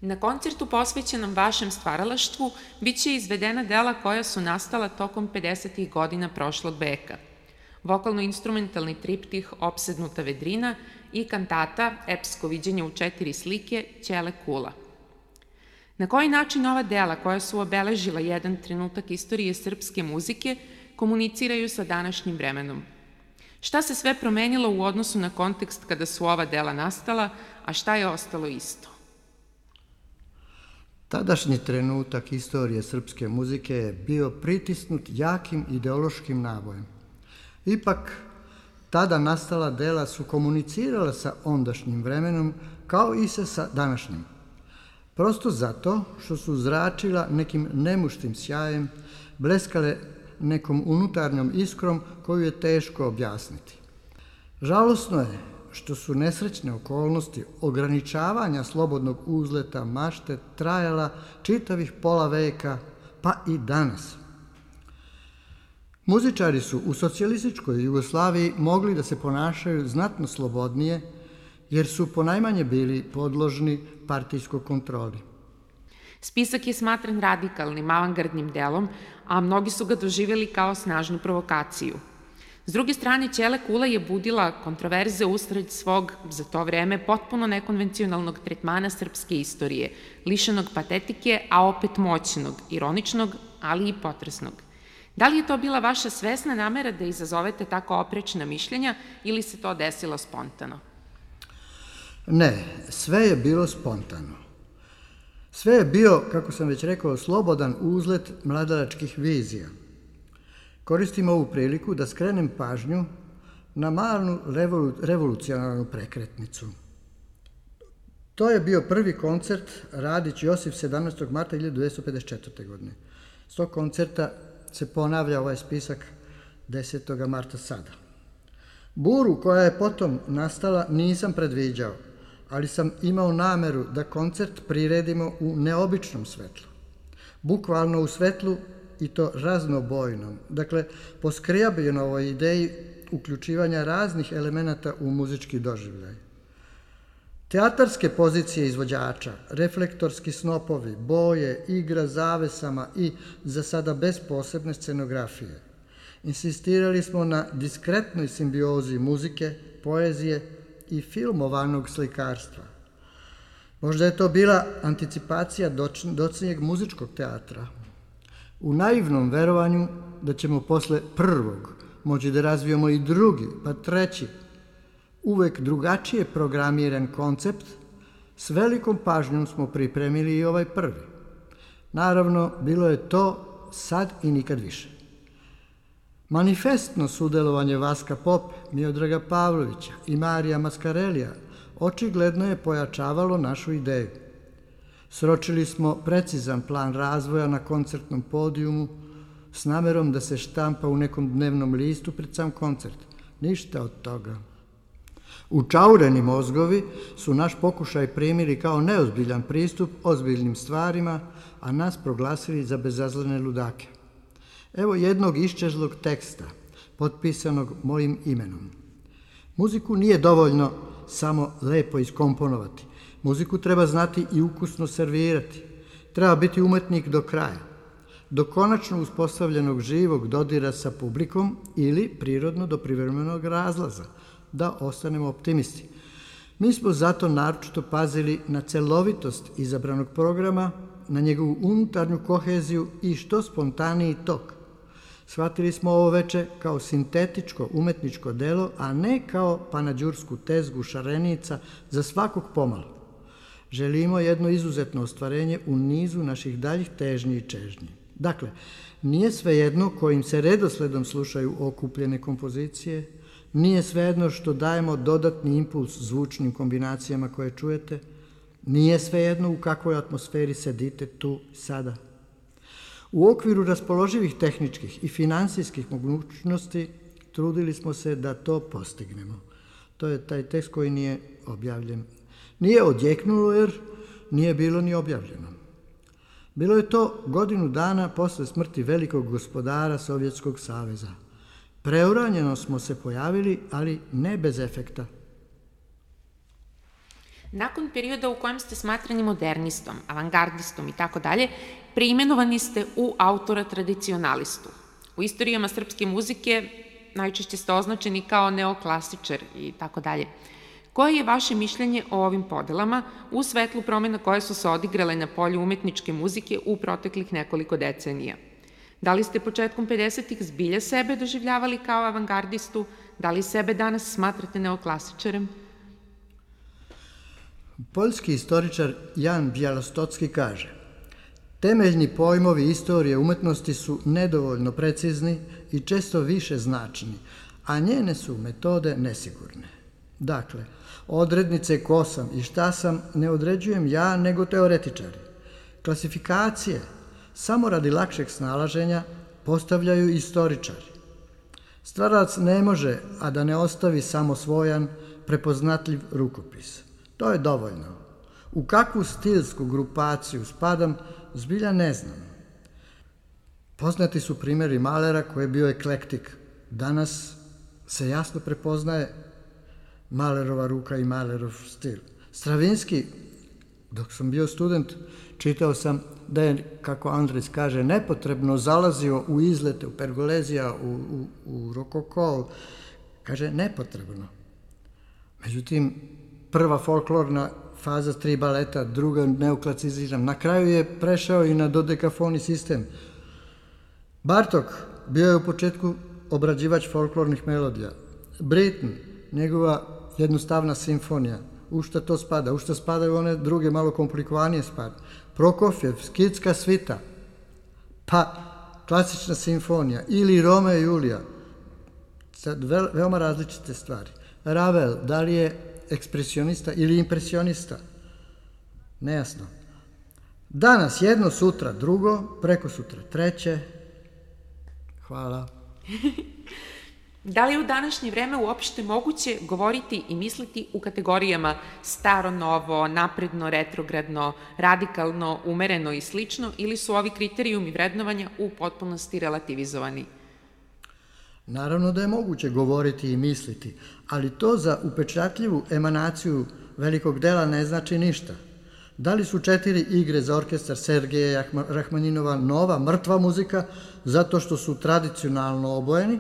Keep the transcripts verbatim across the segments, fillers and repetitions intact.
Na koncertu posvećenom vašem stvaralaštvu biće izvedena dela koja su nastala tokom pedesetih godina prošlog veka. Vokalno-instrumentalni triptih Opsednuta vedrina i kantata Epsko viđenje u četiri slike Ćele kula. Na koji način ova dela koja su obeležila jedan trenutak istorije srpske muzike komuniciraju sa današnjim vremenom? Šta se sve promenilo u odnosu na kontekst kada su ova dela nastala, a šta je ostalo isto? Tadašnji trenutak istorije srpske muzike je bio pritisnut jakim ideološkim nabojem. Ipak, tada nastala dela su komunicirala sa ondašnjim vremenom kao i se sa današnjim. Prosto zato što su zračila nekim nemuštim sjajem, bleskale nekom unutarnjom iskrom koju je teško objasniti. Žalosno je što su nesrećne okolnosti ograničavanja slobodnog uzleta mašte trajala čitavih pola veka, pa i danas. Muzičari su u socijalističkoj Jugoslaviji mogli da se ponašaju znatno slobodnije, jer su ponajmanje bili podložni partijskoj kontroli. Spisak je smatran radikalnim, avangardnim delom, a mnogi su ga doživjeli kao snažnu provokaciju. S druge strane, Ćele kula je budila kontroverze usred svog, za to vreme, potpuno nekonvencionalnog tretmana srpske istorije, lišenog patetike, a opet moćnog, ironičnog, ali i potresnog. Da li je to bila vaša svesna namera da izazovete tako oprečna mišljenja ili se to desilo spontano? Ne, sve je bilo spontano. Sve je bio, kako sam već rekao, slobodan uzlet mladalačkih vizija. Koristim ovu priliku da skrenem pažnju na malu revolu, revolucionarnu prekretnicu. To je bio prvi koncert Radić Josif sedamnaestog marta hiljadu dvesta pedeset četvrte. godine. S tog koncerta se ponavlja ovaj spisak desetog marta sada. Buru koja je potom nastala nisam predviđao, ali sam imao nameru da koncert priredimo u neobičnom svetlu. Bukvalno u svetlu i to raznobojnom, dakle po Skriabinovoj ideji uključivanja raznih elemenata u muzički doživljaj. Teatarske pozicije izvođača, reflektorski snopovi, boje, igra zavesama i, za sada bez posebne scenografije. Insistirali smo na diskretnoj simbiozi muzike, poezije i filmovanog slikarstva. Možda je to bila anticipacija docnijeg muzičkog teatra. U naivnom verovanju da ćemo posle prvog moći da razvijemo i drugi, pa treći, uvek drugačije programiran koncept, s velikom pažnjom smo pripremili i ovaj prvi. Naravno, bilo je to sad i nikad više. Manifestno sudelovanje Vaska Pope, Miodraga Pavlovića i Marija Maskarelija očigledno je pojačavalo našu ideju. Sročili smo precizan plan razvoja na koncertnom podijumu s namerom da se štampa u nekom dnevnom listu pred sam koncert. Ništa od toga. Učaureni mozgovi su naš pokušaj primili kao neozbiljan pristup ozbiljnim stvarima, a nas proglasili za bezazlene ludake. Evo jednog iščezlog teksta, potpisanog mojim imenom. Muziku nije dovoljno samo lepo iskomponovati. Muziku treba znati i ukusno servirati. Treba biti umetnik do kraja, do konačno uspostavljenog živog dodira sa publikom ili prirodno do privremenog razlaza, da ostanemo optimisti. Mi smo zato naročito pazili na celovitost izabranog programa, na njegovu unutarnju koheziju i što spontaniji tok. Shvatili smo ovo veče kao sintetičko umetničko delo, a ne kao panađursku tezgu šarenica za svakog pomalo. Želimo jedno izuzetno ostvarenje u nizu naših daljih težnji i čežnji. Dakle, nije svejedno kojim se redosledom slušaju okupljene kompozicije, nije svejedno što dajemo dodatni impuls zvučnim kombinacijama koje čujete, nije svejedno u kakvoj atmosferi sedite tu sada. U okviru raspoloživih tehničkih i finansijskih mogućnosti trudili smo se da to postignemo. To je taj tekst koji nije objavljen. Nije odjeknulo jer nije bilo ni objavljeno. Bilo je to godinu dana posle smrti velikog gospodara Sovjetskog saveza. Preuranjeno smo se pojavili, ali ne bez efekta. Nakon perioda u kojem ste smatrani modernistom, avangardistom i tako dalje, preimenovani ste u autora tradicionalistu. U istorijama srpske muzike najčešće ste označeni kao neoklasičar i tako dalje. Koje je vaše mišljenje o ovim podelama u svetlu promena koje su se odigrale na polju umetničke muzike u proteklih nekoliko decenija? Da li ste početkom pedesetih zbilja sebe doživljavali kao avangardistu? Da li sebe danas smatrate neoklasičarem? Poljski istoričar Jan Bjelostocki kaže: temeljni pojmovi istorije umetnosti su nedovoljno precizni i često više značni, a njene su metode nesigurne. Dakle, odrednice ko sam i šta sam ne određujem ja, nego teoretičari. Klasifikacije, samo radi lakšeg snalaženja, postavljaju istoričari. Stvaralac ne može, a da ne ostavi samo svojan, prepoznatljiv rukopis. To je dovoljno. U kakvu stilsku grupaciju spadam, zbilja ne znam. Poznati su primjeri Malera koji je bio eklektik. Danas se jasno prepoznaje Malerova ruka i Malerov stil. Stravinski, dok sam bio student, čitao sam da je, kako Andres kaže, nepotrebno zalazio u izlete, u Pergolezija, u, u, u Rokoko. Kaže, nepotrebno. Međutim, prva folklorna faza tri baleta, druga neoklasicizam. Na kraju je prešao i na dodekafoni sistem. Bartok bio je u početku obrađivač folklornih melodija. Britten, njegova jednostavna simfonija. U šta to spada? U šta spadaju one druge, malo komplikovanije spada? Prokofjev, skitska svita, pa klasična simfonija ili Romeo i Julija. Sad, veoma različite stvari. Ravel, da li je ekspresionista ili impresionista? Nejasno. Danas jedno, sutra drugo, preko sutra treće. Hvala. Da li je u današnje vreme uopšte moguće govoriti i misliti u kategorijama staro, novo, napredno, retrogradno, radikalno, umereno i slično, ili su ovi kriterijumi vrednovanja u potpunosti relativizovani? Naravno da je moguće govoriti i misliti, ali to za upečatljivu emanaciju velikog dela ne znači ništa. Da li su četiri igre za orkestar Sergeja Rahmaninova nova, mrtva muzika zato što su tradicionalno obojeni?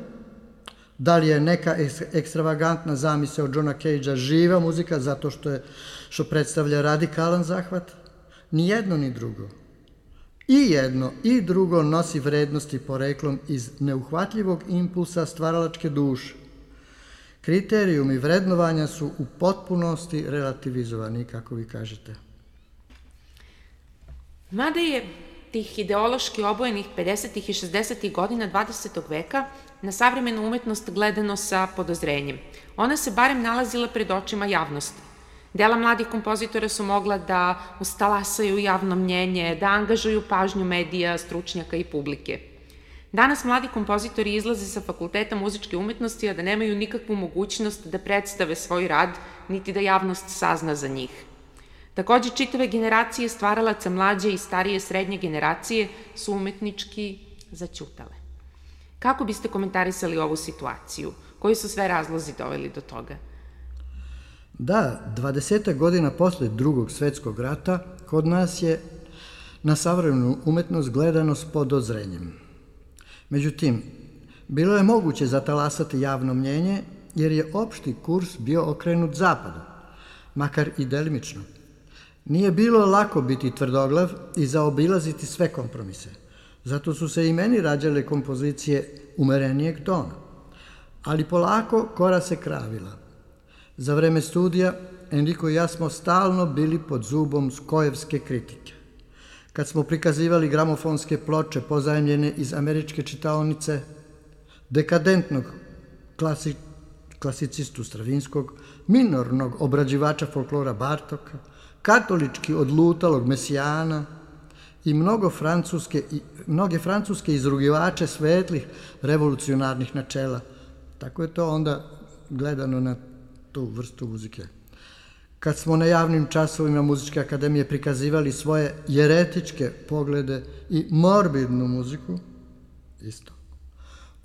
Da li je neka ekstravagantna zamisao od Johna Cagea živa muzika zato što, je, što predstavlja radikalan zahvat? Ni jedno ni drugo. I jedno i drugo nosi vrednosti poreklom iz neuhvatljivog impulsa stvaralačke duše. Kriterijumi vrednovanja su u potpunosti relativizovani, kako vi kažete. Mada je tih ideološki obojenih pedesetih i šezdesetih godina dvadesetog veka na savremenu umetnost gledano sa podozrenjem. Ona se barem nalazila pred očima javnosti. Dela mladih kompozitora su mogla da ustalasaju javno mnjenje, da angažuju pažnju medija, stručnjaka i publike. Danas mladi kompozitori izlaze sa fakulteta muzičke umetnosti, a da nemaju nikakvu mogućnost da predstave svoj rad, niti da javnost sazna za njih. Takođe, čitave generacije stvaralaca mlađe i starije srednje generacije su umetnički zaćutale. Kako biste komentarisali ovu situaciju? Koji su sve razlozi doveli do toga? Da, dvadesetak godina posle drugog svetskog rata kod nas je na savremenu umetnost gledano s podozrenjem. Međutim, bilo je moguće zatalasati javno mnjenje jer je opšti kurs bio okrenut zapadu, makar i delimično. Nije bilo lako biti tvrdoglav i zaobilaziti sve kompromise. Zato su se i meni rađale kompozicije umerenijeg tona. Ali polako kora se kravila. Za vreme studija Enrico i ja smo stalno bili pod zubom skojevske kritike. Kad smo prikazivali gramofonske ploče pozajemljene iz američke čitaonice, dekadentnog klasi, klasicistu Stravinskog, minornog obrađivača folklora Bartoka, katolički odlutalog Mesijana i mnogo francuske, i, mnoge francuske izrugivače svetlih revolucionarnih načela. Tako je to onda gledano na tu vrstu muzike. Kad smo na javnim časovima Muzičke akademije prikazivali svoje jeretičke poglede i morbidnu muziku, isto.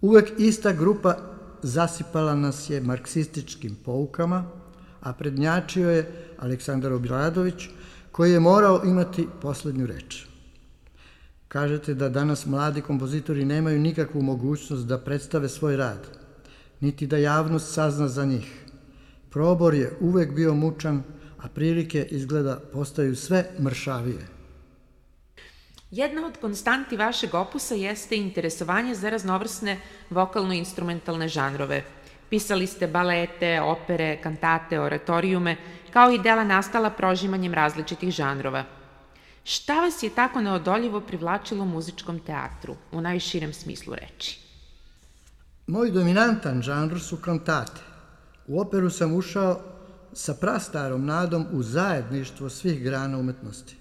Uvek ista grupa zasipala nas je marksističkim poukama, a prednjačio je Aleksandar Obradović, koji je morao imati poslednju reč. Kažete da danas mladi kompozitori nemaju nikakvu mogućnost da predstave svoj rad, niti da javnost sazna za njih. Probor je uvek bio mučan, a prilike izgleda postaju sve mršavije. Jedna od konstanti vašeg opusa jeste interesovanje za raznovrsne vokalno-instrumentalne žanrove. Pisali ste balete, opere, kantate, oratorijume, kao i dela nastala prožimanjem različitih žanrova. Šta vas je tako neodoljivo privlačilo u muzičkom teatru, u najširem smislu reči? Moj dominantan žanr su kantate. U operu sam ušao sa prastarom nadom u zajedništvo svih grana umetnosti.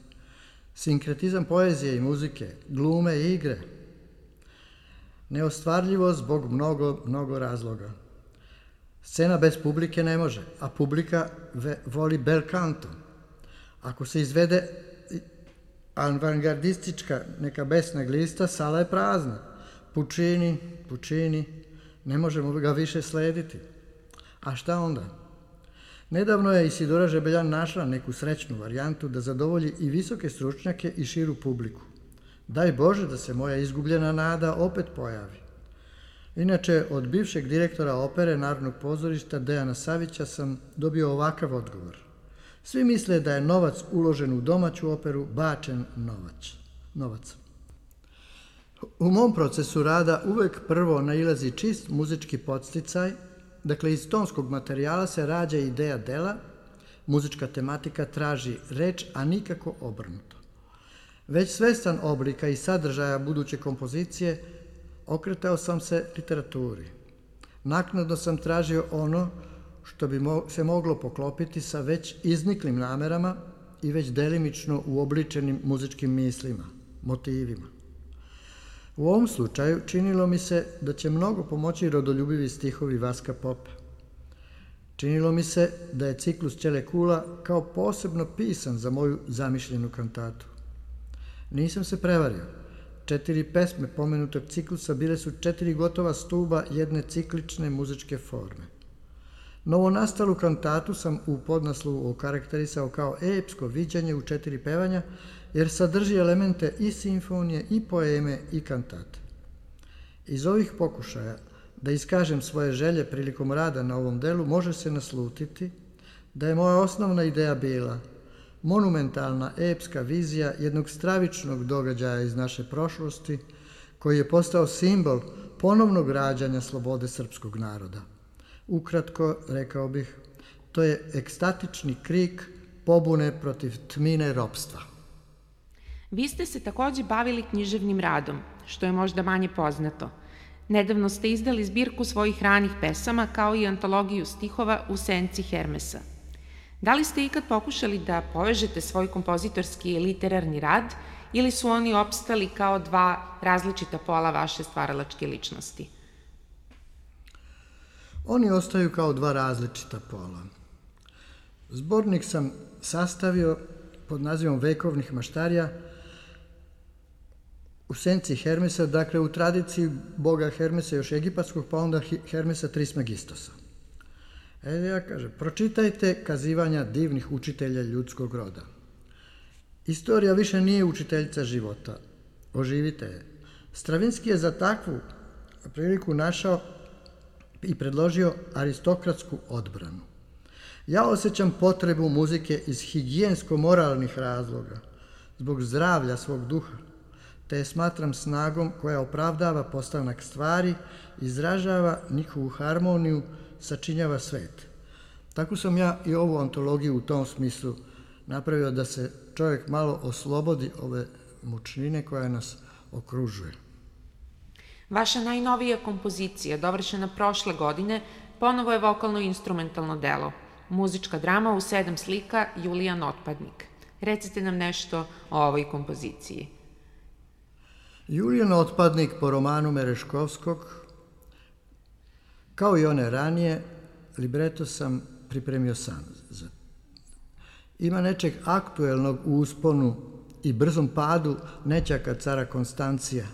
Sinkretizam poezije i muzike, glume i igre. Neostvarljivo zbog mnogo, mnogo razloga. Scena bez publike ne može, a publika voli bel canto. Ako se izvede avangardistička neka besna glista, sala je prazna. Puccini, Puccini, ne možemo ga više slediti. A šta onda? Nedavno je Isidora Žebeljan našla neku srećnu varijantu da zadovolji i visoke stručnjake i širu publiku. Daj Bože da se moja izgubljena nada opet pojavi. Inače, od bivšeg direktora opere Narodnog pozorišta Dejana Savića sam dobio ovakav odgovor. Svi misle da je novac uložen u domaću operu bačen novac. novac. U mom procesu rada uvek prvo nailazi čist muzički podsticaj. Dakle, iz tonskog materijala se rađa ideja dela, muzička tematika traži reč, a nikako obrnuto. Već svestan oblika i sadržaja buduće kompozicije, okretao sam se literaturi. Naknadno sam tražio ono što bi se moglo poklopiti sa već izniklim namerama i već delimično uobličenim muzičkim mislima, motivima. U ovom slučaju činilo mi se da će mnogo pomoći rodoljubivi stihovi Vaska Popa. Činilo mi se da je ciklus Ćele Kula kao posebno pisan za moju zamišljenu kantatu. Nisam se prevario. Četiri pesme pomenutog ciklusa bile su četiri gotova stuba jedne ciklične muzičke forme. Novonastalu kantatu sam u podnaslovu okarakterisao kao epsko viđanje u četiri pevanja, jer sadrži elemente i simfonije, i poeme, i kantate. Iz ovih pokušaja da iskažem svoje želje prilikom rada na ovom delu može se naslutiti da je moja osnovna ideja bila monumentalna epska vizija jednog stravičnog događaja iz naše prošlosti koji je postao simbol ponovnog rađanja slobode srpskog naroda. Ukratko, rekao bih, to je ekstatični krik pobune protiv tmine ropstva. Vi ste se takođe bavili književnim radom, što je možda manje poznato. Nedavno ste izdali zbirku svojih ranih pesama kao i antologiju stihova U senci Hermesa. Da li ste ikad pokušali da povežete svoj kompozitorski i literarni rad ili su oni opstali kao dva različita pola vaše stvaralačke ličnosti? Oni ostaju kao dva različita pola. Zbornik sam sastavio pod nazivom Vekovnih maštarija u senci Hermesa, dakle u tradiciji boga Hermesa još egipatskog, pa onda Hermesa Trismegistosa. E, ja kažem, pročitajte kazivanja divnih učitelja ljudskog roda. Istorija više nije učiteljica života. Oživite je. Stravinski je za takvu priliku našao i predložio aristokratsku odbranu. Ja osjećam potrebu muzike iz higijensko-moralnih razloga, zbog zdravlja svog duha, te je smatram snagom koja opravdava postanak stvari, izražava njihovu harmoniju, sačinjava svet. Tako sam ja i ovu antologiju u tom smislu napravio da se čovjek malo oslobodi ove mučnine koja nas okružuje. Vaša najnovija kompozicija, dovršena prošle godine, ponovo je vokalno-instrumentalno delo. Muzička drama u sedam slika Julijan Otpadnik. Recite nam nešto o ovoj kompoziciji. Julijan Otpadnik po romanu Mereškovskog, kao i one ranije, libreto sam pripremio sam. Ima nečeg aktuelnog u usponu i brzom padu nećaka cara Konstancija.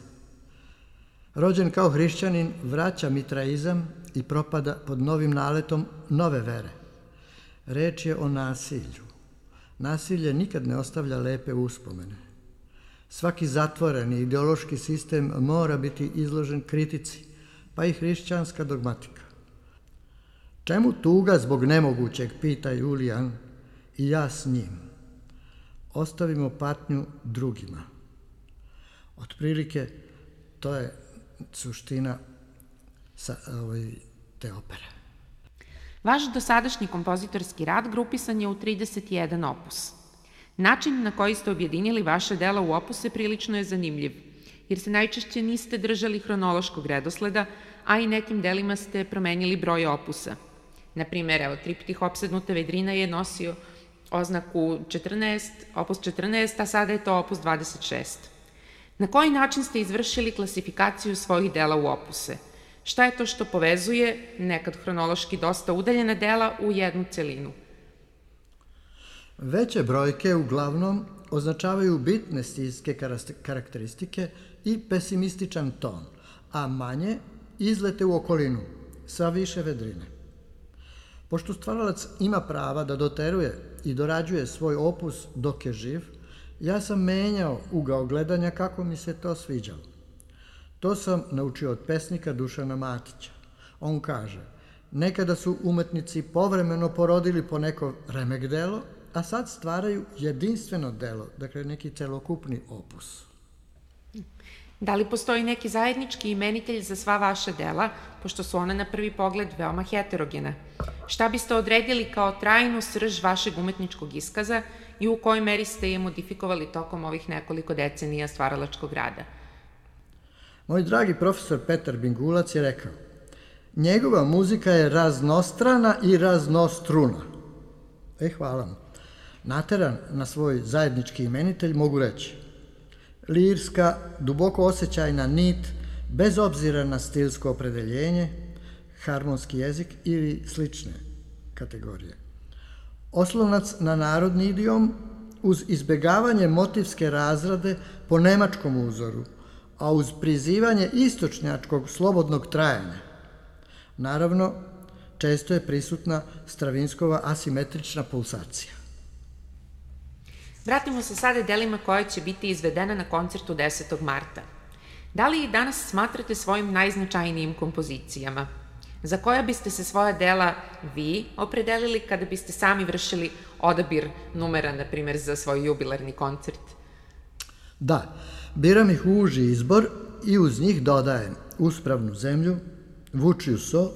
Rođen kao hrišćanin, vraća mitraizam i propada pod novim naletom nove vere. Reč je o nasilju. Nasilje nikad ne ostavlja lepe uspomene. Svaki zatvoreni ideološki sistem mora biti izložen kritici, pa i hrišćanska dogmatika. Čemu tuga zbog nemogućeg, pita Julijan, i ja s njim. Ostavimo patnju drugima. Otprilike, to je suština sa, ovaj, te opere. Vaš dosadašnji kompozitorski rad grupisan je u trideset jedan opus. Način na koji ste objedinili vaše dela u opuse prilično je zanimljiv, jer se najčešće niste držali hronološkog redosleda, a i nekim delima ste promenili broj opusa. Naprimer, evo, triptih Opsednuta vedrina je nosio oznaku četrnaest, opus četrnaest, a sada je to opus dvadeset šest. Na koji način ste izvršili klasifikaciju svojih dela u opuse? Šta je to što povezuje, nekad hronološki dosta udaljena dela, u jednu celinu? Veće brojke uglavnom označavaju bitne stilske karakteristike i pesimističan ton, a manje izlete u okolinu, sa više vedrine. Pošto stvaralac ima prava da doteruje i dorađuje svoj opus dok je živ, ja sam menjao ugao gledanja kako mi se to sviđalo. To sam naučio od pesnika Dušana Matića. On kaže, nekada su umetnici povremeno porodili po neko remek delo, a sad stvaraju jedinstveno delo, dakle neki celokupni opus. Da li postoji neki zajednički imenitelj za sva vaša dela, pošto su ona na prvi pogled veoma heterogena? Šta biste odredili kao trajnu srž vašeg umetničkog iskaza i u kojoj meri ste je modifikovali tokom ovih nekoliko decenija stvaralačkog rada? Moj dragi profesor Petar Bingulac je rekao, njegova muzika je raznostrana i raznostruna. E, hvala mu. Nateran na svoj zajednički imenitelj mogu reći lirska, duboko osjećajna nit, bez obzira na stilsko opredeljenje, harmonski jezik ili slične kategorije. Oslonac na narodni idiom uz izbegavanje motivske razrade po nemačkom uzoru, a uz prizivanje istočnjačkog slobodnog trajanja. Naravno, često je prisutna Stravinskova asimetrična pulsacija. Vratimo se sada delima koja će biti izvedena na koncertu desetog marta. Da li i danas smatrate svojim najznačajnijim kompozicijama? Za koja biste se svoja dela vi opredelili kada biste sami vršili odabir numera, na primjer, za svoj jubilarni koncert? Da, biram ih u uži izbor i uz njih dodajem Uspravnu zemlju, Vučiju so,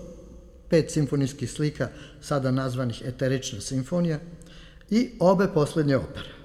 pet simfonijskih slika, sada nazvanih Eterična simfonija, i obe poslednje opere.